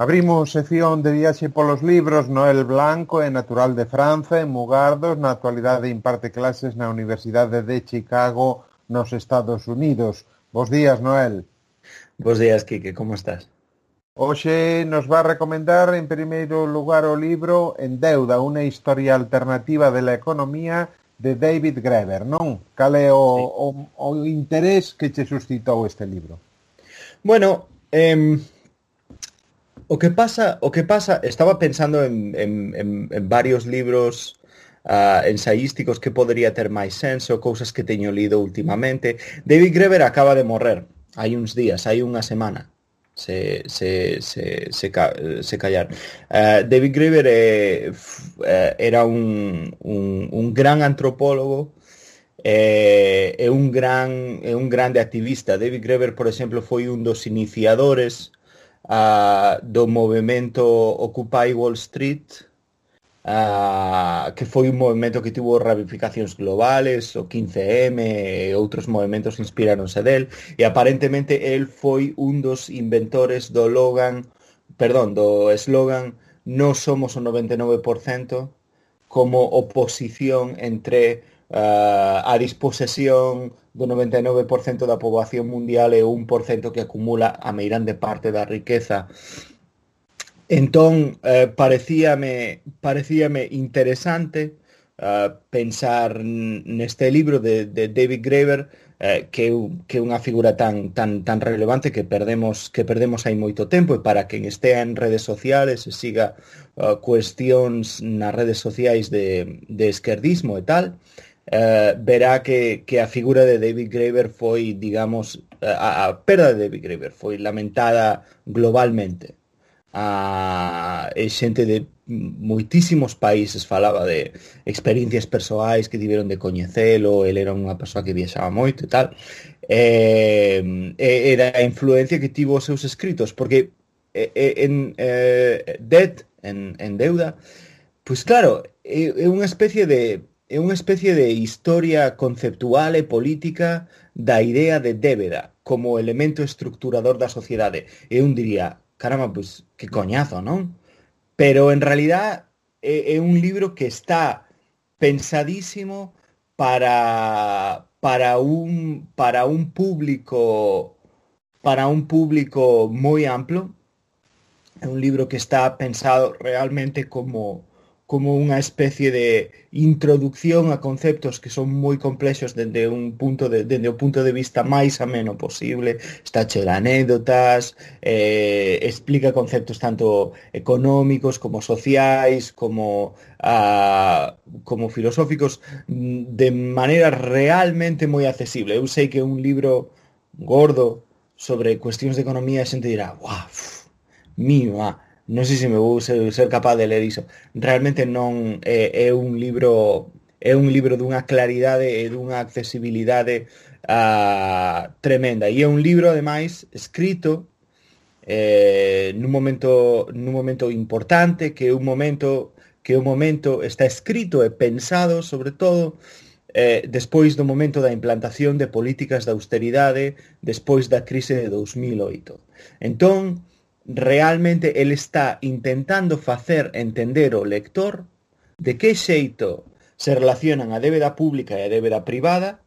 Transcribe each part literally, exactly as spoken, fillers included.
Abrimos sección de viaxe polos libros. Noel Blanco é natural de Franza, en Mugardos. Na actualidade imparte clases na Universidade de Chicago, nos Estados Unidos. Bos días, Noel. Bos días, Quique, como estás? Hoxe nos va a recomendar, en primeiro lugar, o libro En deuda, unha historia alternativa de la economía, de David Graeber, non? Cal é o, Sí. o, o interés que che suscitou este libro? Bueno, eh, o que pasa, o que pasa, estaba pensando en, en, en, en varios libros uh, ensaísticos que podería ter máis senso, cousas que teño lido últimamente. David Graeber acaba de morrer hai uns días, hai unha semana. Se, se, se, se, ca, se callar. Uh, David Graeber eh, f, eh, era un, un, un gran antropólogo. É, é un gran é un grande activista. David Graeber, por exemplo, foi un dos iniciadores uh, do movimento Occupy Wall Street, uh, que foi un movimento que tivo ramificacións globales, o quince eme e outros movimentos inspiráronse del, e aparentemente el foi un dos inventores do logan, perdón, do eslogan "Non somos o noventa e nove por cento", como oposición entre uh, a disposesión do noventa e nove por cento da poboación mundial e o un por cento que acumula a meirande parte da riqueza. Entón, eh, parecíame, parecíame interesante uh, pensar neste libro de, de David Graeber, eh, que que é unha figura tan tan tan relevante que perdemos que perdemos hai moito tempo, e para quen estea en redes sociales e siga uh, cuestións nas redes sociais de, de esquerdismo e tal, uh, verá que, que a figura de David Graeber foi, digamos, a, a perda de David Graeber foi lamentada globalmente. A e xente de moitísimos países falaba de experiencias persoais que tiveron de coñecelo. El era unha persoa que viaxaba moito e tal, e, e da influencia que tivo os seus escritos, porque en eh, Debt, en, en deuda, pois claro, é, é unha especie de é unha especie de historia conceptual e política da idea de débeda como elemento estructurador da sociedade. Eu diría, caramba, pois que coñazo, non? Pero en realidad é, é un libro que está pensadísimo para para un para un público para un público moi amplo. É un libro que está pensado realmente como como unha especie de introducción a conceptos que son moi complexos dende un punto de, dende o punto de vista máis ameno posible. Está cheo de anécdotas, eh, explica conceptos tanto económicos como sociais, como uh, como filosóficos, de maneira realmente moi accesible. Eu sei que é un libro gordo sobre cuestións de economía, e a xente dirá, "Uau, mima, non sei se me vou ser, ser capaz de ler iso". Realmente non é, é un libro é un libro dunha claridade e dunha accesibilidade uh, tremenda, e é un libro ademais escrito eh, nun momento nun momento importante, que é un momento que o momento está escrito e pensado sobre todo eh, despois do momento da implantación de políticas de austeridade despois da crise de dous mil oito. Entón, realmente el está intentando facer entender ao lector de que xeito se relacionan a débeda pública e a débeda privada,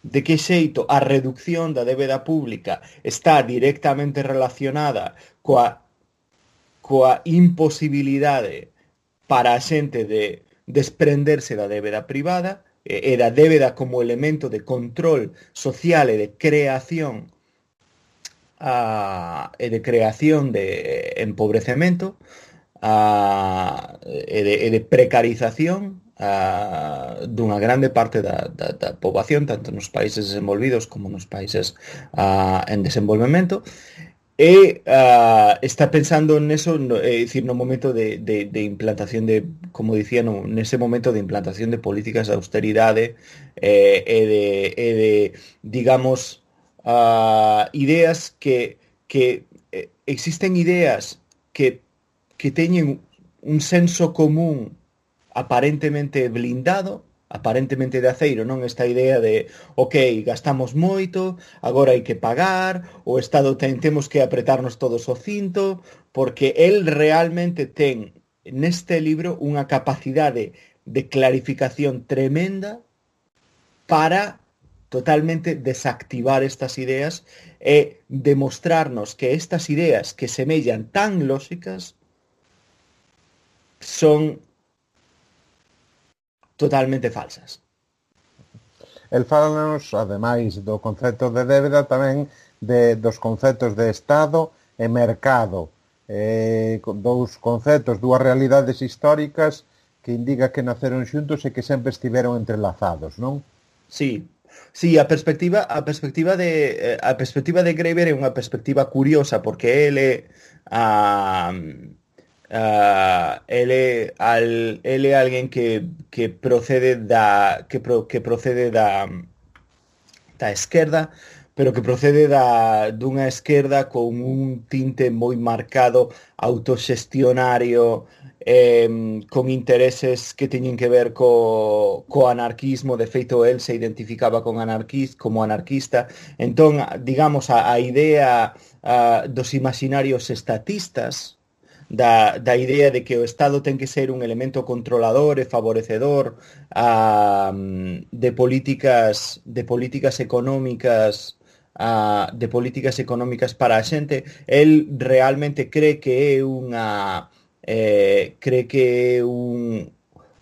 de que xeito a reducción da débeda pública está directamente relacionada coa, coa imposibilidade para a xente de desprenderse da débeda privada e da débeda como elemento de control social e de creación Uh, e de creación de empobrecemento, uh, e, de, e de precarización uh, dunha grande parte da, da, da poboación, tanto nos países desenvolvidos como nos países uh, en desenvolvemento, e uh, está pensando neso, no, é dicir, no momento de, de, de implantación de, como dicía, no, nese momento de implantación de políticas de austeridade eh, e de, e de digamos, Uh, ideas que, que eh, existen ideas que, que teñen un senso común aparentemente blindado, aparentemente de aceiro, non esta idea de, ok, gastamos moito, agora hai que pagar, o Estado ten, temos que apretarnos todos o cinto, porque el realmente ten neste libro unha capacidade de clarificación tremenda para totalmente desactivar estas ideas e demostrarnos que estas ideas que semellan tan lógicas son totalmente falsas. El fálanos, ademais do concepto de débeda, tamén de, dos conceptos de Estado e mercado. Eh, dous conceptos, dúas realidades históricas que indica que naceron xuntos e que sempre estiveron entrelazados, non? Sí, sí, a perspectiva a perspectiva de a perspectiva de Graeber é unha perspectiva curiosa porque ele a Uh, ele al ele é alguén que que procede da que pro, que procede da da esquerda, pero que procede da dunha esquerda con un tinte moi marcado autoxestionario, eh, con intereses que teñen que ver co, co anarquismo. De feito, el se identificaba con anarquista, como anarquista. Entón, digamos, a, a idea uh, dos imaginarios estatistas, Da, da idea de que o Estado ten que ser un elemento controlador e favorecedor a, de políticas de políticas económicas a, de políticas económicas para a xente. El realmente cree que é unha eh, cree que é un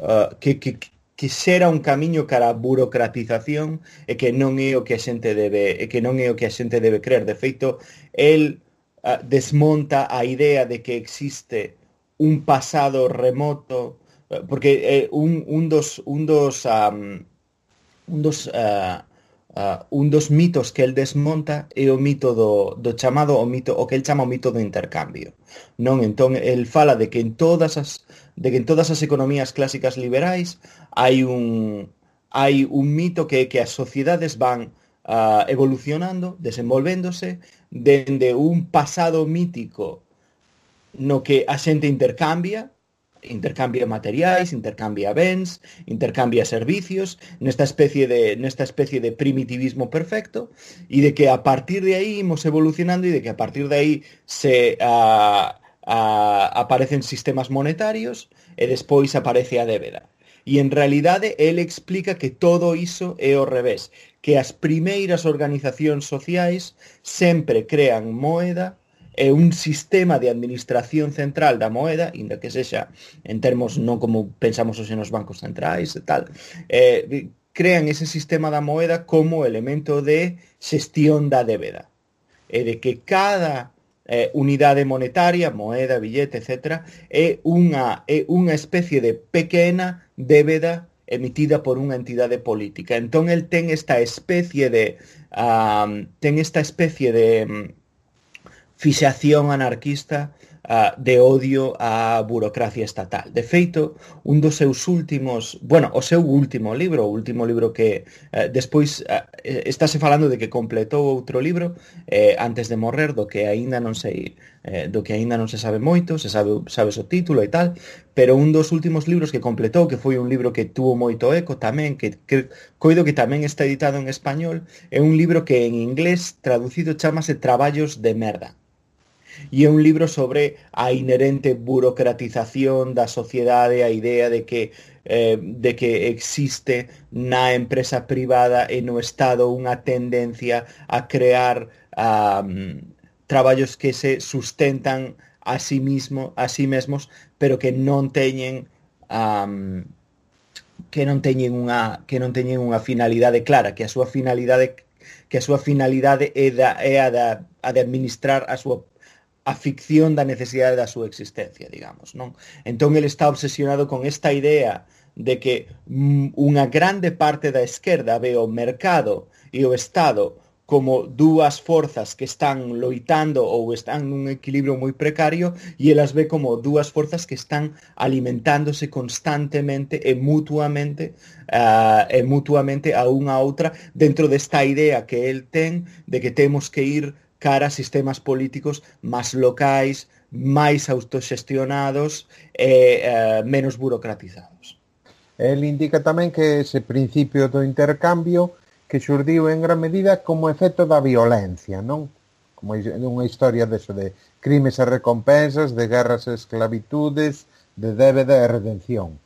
uh, que, que, que xera un camiño cara a burocratización e que non é o que a xente debe e que non é o que a xente debe creer. De feito, el Uh, desmonta a idea de que existe un pasado remoto, uh, porque eh, un, un dos un dos um, un dos uh, uh, un dos mitos que el desmonta é o mito do, do chamado o mito o que el chama o mito do intercambio, non? Entón el fala de que en todas as de que en todas as economías clásicas liberais hai un hai un mito que é que as sociedades van uh, evolucionando, desenvolvéndose dende un pasado mítico no que a xente intercambia, intercambia materiais, intercambia bens, intercambia servicios, nesta especie de nesta especie de primitivismo perfecto, e de que a partir de aí imos evolucionando e de que a partir de aí se uh, uh, aparecen sistemas monetarios e despois aparece a débeda. E en realidade ele explica que todo iso é ao revés, que as primeiras organizacións sociais sempre crean moeda e un sistema de administración central da moeda, inda que sexa en termos non como pensamos hoxe nos bancos centrais e tal, eh, crean ese sistema da moeda como elemento de xestión da débeda. E de que cada eh, unidade monetaria, moeda, billete, etcétera, é unha, é unha especie de pequena débeda emitida por unha entidade política. Entón el ten esta especie de um, ten esta especie de um, fixación anarquista uh, de odio á burocracia estatal. De feito, un dos seus últimos, bueno, o seu último libro, o último libro que uh, despois uh, estáse falando de que completou outro libro eh, antes de morrer, do que aínda non sei, eh, do que aínda non se sabe moito, se sabe sabe o título e tal, pero un dos últimos libros que completou, que foi un libro que tuvo moito eco tamén, que, que coido que tamén está editado en español, é un libro que en inglés traducido chamase Traballos de merda. E é un libro sobre a inherente burocratización da sociedade, a idea de que eh, de que existe na empresa privada e no Estado unha tendencia a crear um, traballos que se sustentan a sí mismo, a sí mesmos, pero que non teñen um, que non teñen unha que non teñen unha finalidade clara, que a súa finalidade que a súa finalidade é, da, é a, da, a de administrar a súa a ficción da necesidade da súa existencia, digamos, non? Entón, ele está obsesionado con esta idea de que mm, unha grande parte da esquerda ve o mercado e o Estado como dúas forzas que están loitando ou están nun equilibrio moi precario, e elas ve como dúas forzas que están alimentándose constantemente e mutuamente uh, e mutuamente a unha a outra dentro desta idea que el ten de que temos que ir cara a sistemas políticos máis locais, máis autoxestionados e eh, menos burocratizados. El indica tamén que ese principio do intercambio que xurdiu en gran medida como efecto da violencia, non? Como unha historia deso de crimes e recompensas, de guerras e esclavitudes, de débeda e redención.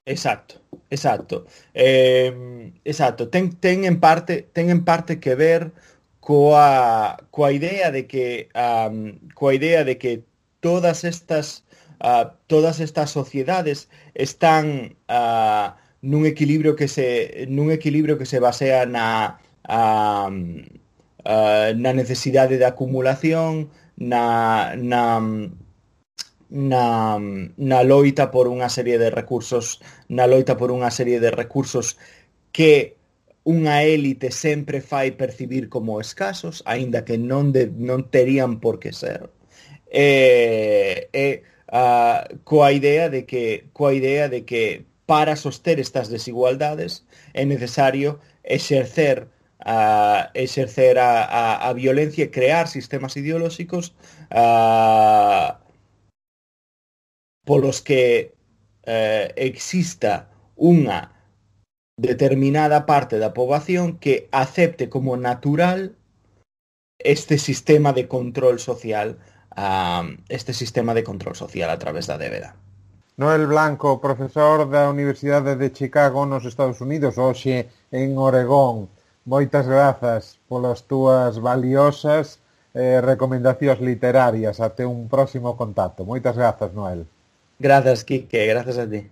Exacto, exacto. Eh, exacto, ten, ten en parte ten en parte que ver coa coa idea de que um, coa idea de que todas estas uh, todas estas sociedades están uh, nun equilibrio que se nun equilibrio que se basea na um, uh, na necesidade de acumulación, na na na, na loita por unha serie de recursos, na loita por unha serie de recursos que unha élite sempre fai percibir como escasos, aínda que non, de, non terían por que ser. E, e uh, coa idea de que coa idea de que para soster estas desigualdades é necesario exercer uh, exercer a, a, a violencia e crear sistemas ideolóxicos uh, polos que eh, exista unha determinada parte da poboación que acepte como natural este sistema de control social, uh, este sistema de control social a través da débeda. Noel Blanco, profesor da Universidade de Chicago nos Estados Unidos, hoxe en Oregón. Moitas grazas polas túas valiosas eh, recomendacións literarias. Até un próximo contacto. Moitas grazas, Noel. Grazas, Quique, grazas a ti.